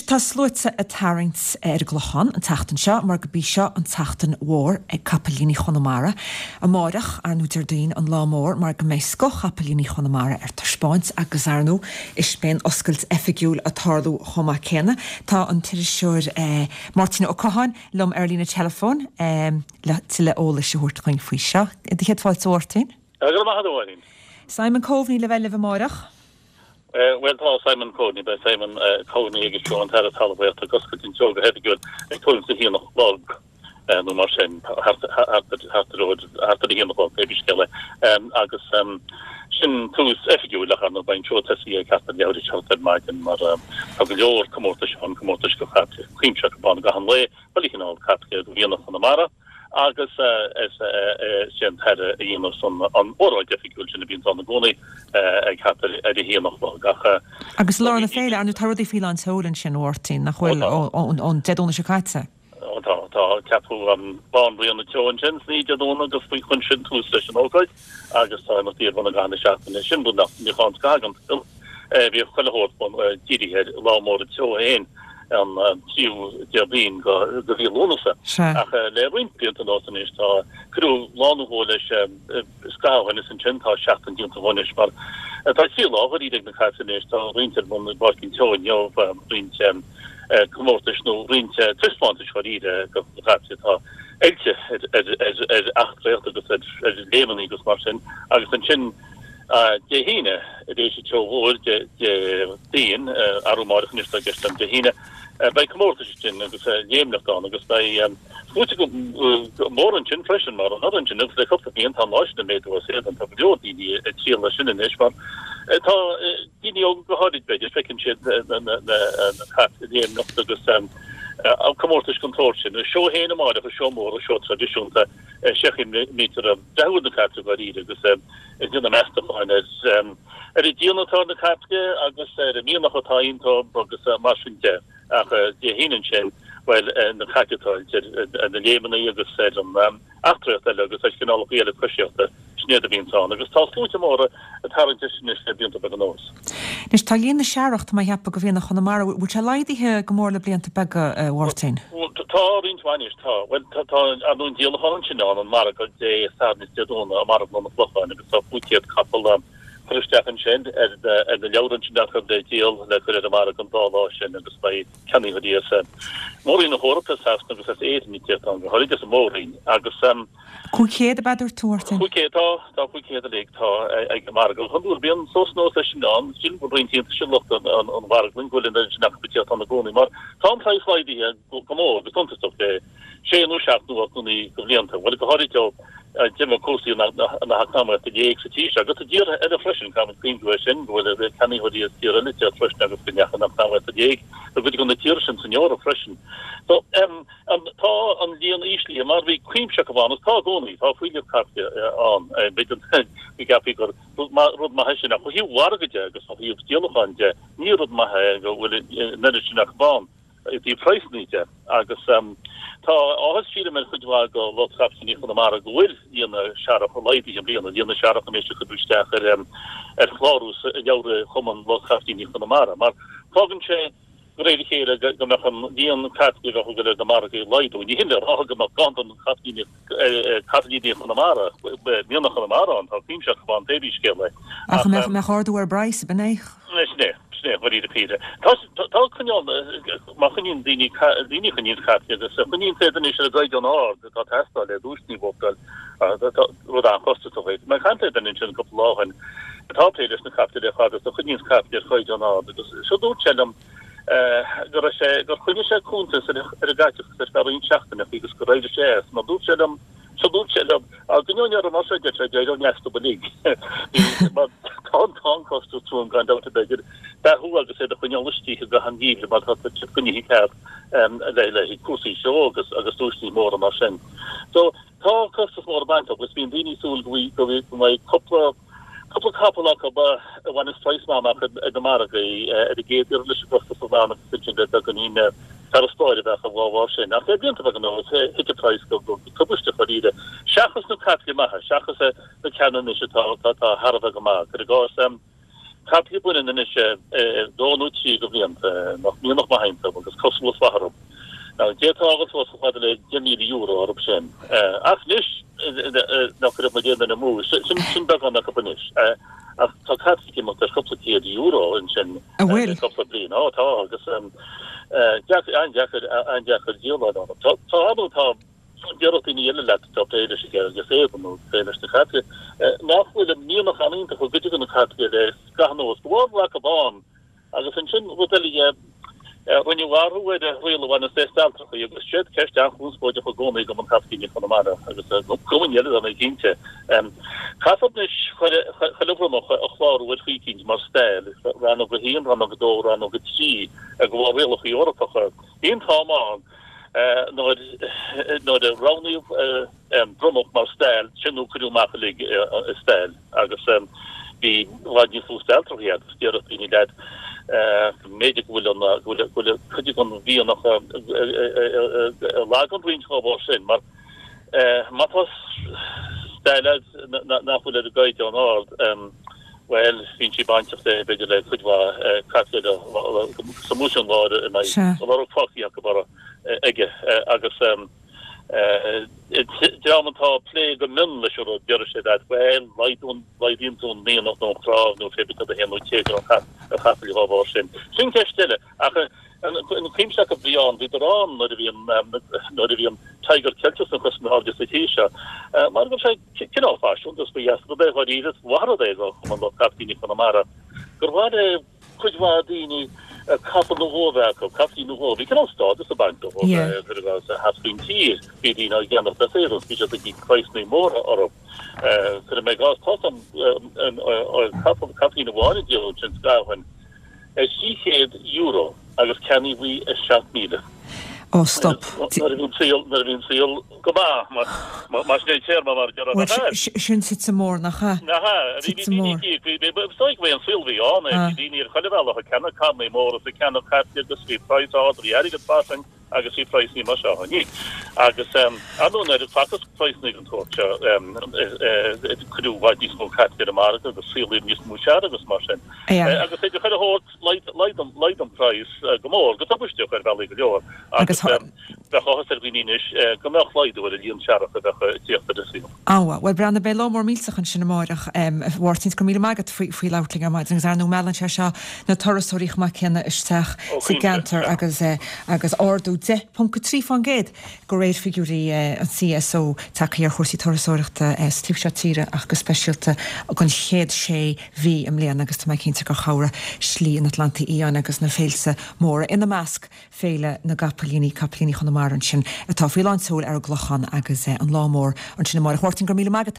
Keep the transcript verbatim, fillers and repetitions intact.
tá sluaite ag tarraingt ar an gClochán an tseachtain seo mar gurb í seo an tseachtain mhór ag Capaillíní Chonamara. Amárach, ar ndóigh Déardaoin an lá mór mar go mbeidh scoth-chapaillíní Chonamara ar taispeáint agus ar ndóigh is beidh an oscailt oifigiúil ag tarlú chomh maith céanna. Tá an t-iriseoir eh, Máirtín Ó Catháin liom ar líne telefón eh, le tuilleadh eolais a thabhairt dúinn faoi seo. Do chéad fáilte Mháirtín? Go maith Máirín. Simon Coveney le bheith libh amárach. Well tá Simon Coveney beidh Simon Coveney agus seo an tAire Talmhaíochta ag oscailt an tseó go hoifigiúil ag tuairim is a haon a chlog nó mar sin thart ar a haon a chlog pé scéal é agus sin tús oifigiúil le an bain seo tosaí ag ceathair leathuair tar éis a hocht ar maidin mar tá go leor comórtais an comórtais go cuimse ban gach aon lae chuile chineál caiple do mhianach Chonamara. agus is é an tAire a dhéanfas an óráid oifigiúil sin a bhíonn ann i gcónaí ag thart ar a haon a chlog ach Agus lár na féile ar ndóigh tá rudaí faoi lán tseoil ansin Mháirtín nach bhfuil ón Dé Domhnaigh seo caite. Tá tá ceapadh an Banríon an tSeó ansin san Dé Domhnaigh agus faoi chun sin tús leis an ócáid agus tá imeachtaí ar bun i gcaitheamh na seachtaine sin rud nach mbíodh ann scagan. Bhíodh chuile shórt dírithe ar lá mór an tseó féin. an tríú Déardaoin de mhí Lúnasa. Ach le roinnt blianta anuas anois tá cuireadh lá nó dhó leis scaitheamh ó shin is ansin tá seachtain déanta dhó anois mar tá trí lá dháiríre ag na caiple anois, tá roinnt ar bun i bPáirc an tSeó inniu, roinnt comórtais nó roinnt taispeántais dháiríre do na caiple atá oilte ar eachtraíocht agus ar léimeanna agus mar sin agus ansin Dé hAoine, tar éis an tseó mhóir Déardaoin, arú amárach anois tá i gceist agam Dé hAoine, beidh comórtais ansin agus léimneacht ann agus beidh sluaite mór ansin freisin mar anuraidh ansin agus le cúpla bliain tá an lá sin ag méadú as éadan, tá go leor daoine ag triall air sin anois mar tá daoine óga go háirid b'fhéidir, feiceann siad na cait ag léimneacht agus comórtais den tsórt sin. An seó féin amárach, an seó mór, an seó traidisiúnta, sé chaoi a mbítear ag breathú ar na caiple dháiríre agus ag déanamh meastacháin ar ar an díon atá ar na caiple agus ar an mianach atá iontu agus mar sin de. Ach Dé hAoine ansin, bhuel, na cait atá oilte ar na léimeanna agus ar an eachtraíocht eile agus ar chineálacha eile coisíochta, sin iad a bhíonns ann. Agus tá sluaite móra ag tarraingt air sin anois le blianta beaga anuas. Anois, tá líon na searrach, tá mé a cheapadh, do mhianach Chonamara, bhfuil sé laghdaithe go mór le blianta beaga, a Mháirtín? Tá roinnt mhaith anois, tá. Bhuel, tá, ar ndóigh an díolachán ansin ann, an margadh Dé Sathairn is Dé Domhnaigh i Marglann an Chlocháin agus tá cúig chéad capall curtha isteach ansin ar ar na leabhra ansin acu le díol le cur ar an margadh an dá lá sin agus beidh ceannaitheoirí as Mór-Roinn na hEorpa, as Sasana agus as Éirinn ag tíocht ann, go háirid as an Mór-Roinn agus. Cúig chéad ab ea a dúirt tú, Mháirtín? Cúig chéad, tá, tá cúig chéad uilig, tá, ag an margadh. Go hiondúil bíonn suas anuas leis sin ann, sílim go bhfuil roinnt iontais ar lucht an mharglainn go bhfuil an oiread sin acu ag tíocht ann i gcónaí mar tá an praghas laghdaithe go mór, go suntasach le sé nó seacht nó ocht nó naoi de bhlianta. Bhuel, go háirid ó d'imigh cúrsaí na heacnamaíochta i léig sa tír seo agus i dtíortha eile freisin, caithfimid cuimhniú air sin, go bhfuil ceannaitheoirí as tíortha eile ag tíocht freisin agus go ndeachaigh an eacnamaíocht i léig i gcuid de na tíortha sin san Eoraip freisin. So, Tá an líon íslithe mar bhí cuimse acu ann agus tá i gcónaí, tá fuílleach caiple ann. B'fhéidir go gceapfaí gur rud maith é sin ach ó thaobh mhargaidh de agus ó thaobh díolacháin de ní rud maith é go bhfuil an oiread sin acu ann i dtaobh praghsanna de. Agus tá áthas sílim ar chuid mhaith de lucht chapaillíní Chonamara go bhfuil líon na searrach laghdaithe i mbliana, líon na searrach anois a cuireadh isteach ar chlárú i leabhra Chumann Lucht Chapaillíní Chonamara mar fágann sé De réir a chéile go mbeadh an líon caiple a bheadh ag dul ar na margaí ag laghdú. Ní hin le rá go mbeadh ganntan don capaillíní Chonamara, mianach Chonamara ann, tá cuimse acu ann pé scéal é. Ach an mbeadh ardú ar an bpraghas, ab in é? Sin é, sin é, dáiríre píre. Tá, tá coinneáil, má choinníonn daoine, daoine a choinníonn caiple agus a choinníonn iad anois ar an gcaighdeán ard atá ag teastáil le duaiseanna a bhuachtáil, rud an-chostasach é. Mé ag caint le duine ansin cúpla lá ó shin atá ag plé leis na caiple le fada agus a choinníonns caiple ar chaighdeán ard agus seo dúirt sé liom go raibh sé, gur choinnigh sé cuntas ar an gcaiteachas ar feadh roinnt seachtaineacha agus gur éirigh sé as mar dúirt sé liom, seo dúirt sé liom, á gcoinneoinn orm mar seo deir sé, d'éireoinn astu uilig mar tá an tá an costas trom gan dabht b'fhéidir beathú agus iad a choinneáil istigh i gcaitheamh an gheimhridh mar tá siad coinnithe ceart le le cúrsaí seó agus agus duaiseanna móra mar sin. So tá costas mór ag baint leo agus bíonn daoine ag súil go bhfuil go mbeidh cúpla Cúpla capall acu a bhaineas praghas maith amach ar na margaí ar an gcéad iarraidh leis an gcostas a ghlanadh agus ansin le beagáinín farasbairr a bheadh dá bharr sin. Ach le blianta beaga anuas, thit an praghas go tubaisteach dáiríre. Seachas na caiple maithe, seachas na ceanna anois atá thar a bheith go maith. Cuir i gcás, Caiple baineann anois dó nó trí de bhlianta nach mianach maith iontu agus cosúlacht mhaith orthu. Now d'fhéadfá a ghabháil suas chomh fada le deich míle euro orthu sin. Ach anois nach raibh muid aon duine amú, sin sin beagán acu anois. Ach tá caiple ag imeacht ar chúpla céad euro ansin le cúpla bliain. Ó tá agus deacair an-deacair an-deacair díoláil orthu. Tá tá tá Déarfadh daoine eile leat atá ag plé leis an gceird agus éadan nó ag plé leis na caiple nach bhfuil an mianach an-iontach i gcuid de na caiple le scaitheamh anuas, go bhfuil acu ann agus ansin rud eile dhe, rinneadh athrú ar an riail a bhaineas le stailtreachaí agus siod ceist an-chonspóideach i gcónaí i gCumann Capaillíní Chonamara agus i gcumainn eile dar ndóigh cinnte. Caithfear anois chuile bhromach a chlárú ar chaoi eicínt mar stail, rannóg a haon, rannóg a dó, rannóg a trí, de bharr rialacha Eorpacha. Bhí an t-am ann nuair nuair a roghnaíodh bromach mar stail, sin nó cuireadh amach uilig i stail agus bhí i bhfad níos lú stailtreachaí agus déarfadh daoine leat go mb'fhéidir go bhfuil an go bhfuil go bhfuil cuid den mhianach lag ann roinnt dá bharr sin mar má tá stail agat nach bhfuil ar an gcaighdeán ard bhuel bíonn sí bainteach le b'fhéidir le cuid mhaith caiple sa múisiún láir a mbeidh lorg fágtha acu orthu aige agus dream atá ag plé go mion leis an rud déarfaidh sé leat bhuel laghdaíonn tú an mianach nó an chnámh nó pé bith cad a théann nó téagar an chapaill dá bharr sin. Sin ceist eile ach an cuimse acu bhí ann bhíodar ann nuair a bhí an nuair a bhí an Tiger Ceilteach an chuid is airde sa tír seo mar go raibh sé cineál faiseanta is ba dheas rud é dháiríre is mhaith rud é do Chumann Lucht Capaillíní Chonamara gur mhaith le cuid mhaith daoine capall nó dhó a bheith acu, capaillín nó dhó. Bhí cineál stádas ag baint leo cuir i gcás thart faoin tír. Bhí daoine á gceannach le saothar, bhí siad ag íoc praghsanna móra orthu. Cuirfidh mé i gcás, tá capall, capaillín amháin a díoladh ansin scaitheamh ó shin ar thrí chéad euro agus ceannaíodh í ar seacht míle. Ó, stop. Nuair a bhí an saol, nuair a bhí an saol go maith, mar sin é an téarma mar a déarfá, nach ea? Sin tite mór, nach ea? Nach ea? Bhí Tite mór. daoine, bhí, bhí, is dóigh go bhí an saol a bhí ann, bhí daoine ar chuile bhealach ag ceannach carrannaí móra is ag ceannach caiple agus bhí praghas ard, bhí airgead fairsing agus bhí praghsanna mar seo ann. Agus ar ndóigh nuair a facthas praghsanna den tsórt seo, cuireadh i bhfad níos mó caiple ar an margadh agus saolaíodh níos mó searrach agus mar sin. Agus idir chuile shórt, Laghdaigh an praghas go mór, go tubaisteach ar bhealaí go leor, agus bheadh áthas ar dhaoine anois go mbeadh laghdú ar an líon searrach a bheadh ag tíocht ar an saol. Á, bhuel, breathnaigh, beidh lá mór millteach ansin amáireach, a Mháirtín, is go raibh míle maith agat faoi labhairt linn ar maidin, agus ar ndóigh meallann sé seo na turasóirí chomh maith céanna isteach sa gceantar agus agus ardú deich ponc a trí fán gcéad de réir figiúirí an CSO tagtha ar chúrsaí turasóireachta sa taobh seo tíre ach go speisialta don chéad sé mhí i mbliana agus tá mé cinnte gur chabhraigh Slí an Atlantaigh Fhiáin agus na féilte móra, ina measc Féile na gCapaillíní, Capaillíní Chonamara ansin atá faoi lán tseoil ar an gClochán agus an lá mór ansin amáireach. Mháirtín, go raibh míle maith agat.